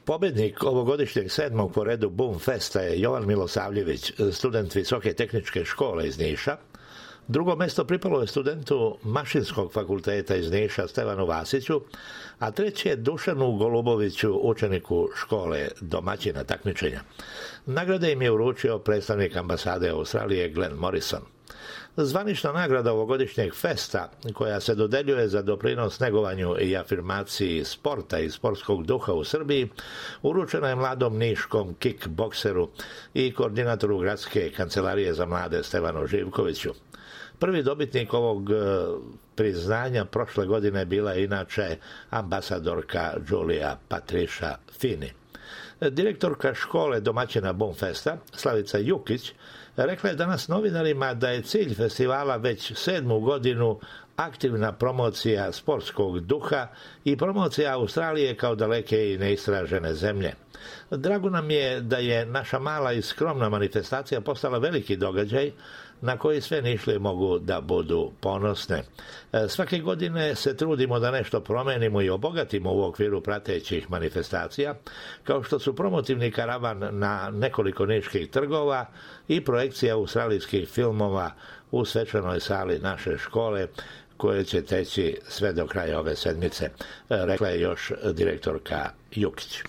Pobednik ovogodišnjeg 7. po redu Boom Festa je Jovan Milosavljević, student Visoke tehničke škole iz Niša. Drugo mesto pripalo je studentu Mašinskog fakulteta iz Niša Stevanu Vasiću, a treće je Dušanu Goluboviću, učeniku škole domaćina takmičenja. Nagrade im je uručio predstavnik ambasade Australije Glenn Morrison. Zvanična nagrada ovogodišnjeg festa, koja se dodeljuje za doprinos negovanju i afirmaciji sporta i sportskog duha u Srbiji, uručena je mladom niškom kickbokseru i koordinatoru gradske kancelarije za mlade Stevanu Živkoviću. Prvi dobitnik ovog priznanja prošle godine bila je inače ambasadorka Đulija Patriša Fini. Direktorka škole domaćina Boom Festa, Slavica Jukić, rekla je danas novinarima da je cilj festivala već 7. godinu aktivna promocija sportskog duha i promocija Australije kao daleke i neistražene zemlje. Drago nam je da je naša mala i skromna manifestacija postala veliki događaj na koji sve Nišlije mogu da budu ponosne. Svake godine se trudimo da nešto promenimo i obogatimo u okviru pratećih manifestacija, kao što su promotivni karavan na nekoliko niških trgova i projekcija australijskih filmova u svečanoj sali naše škole, koje će teći sve do kraja ove sedmice, rekla je još direktorka Jukić.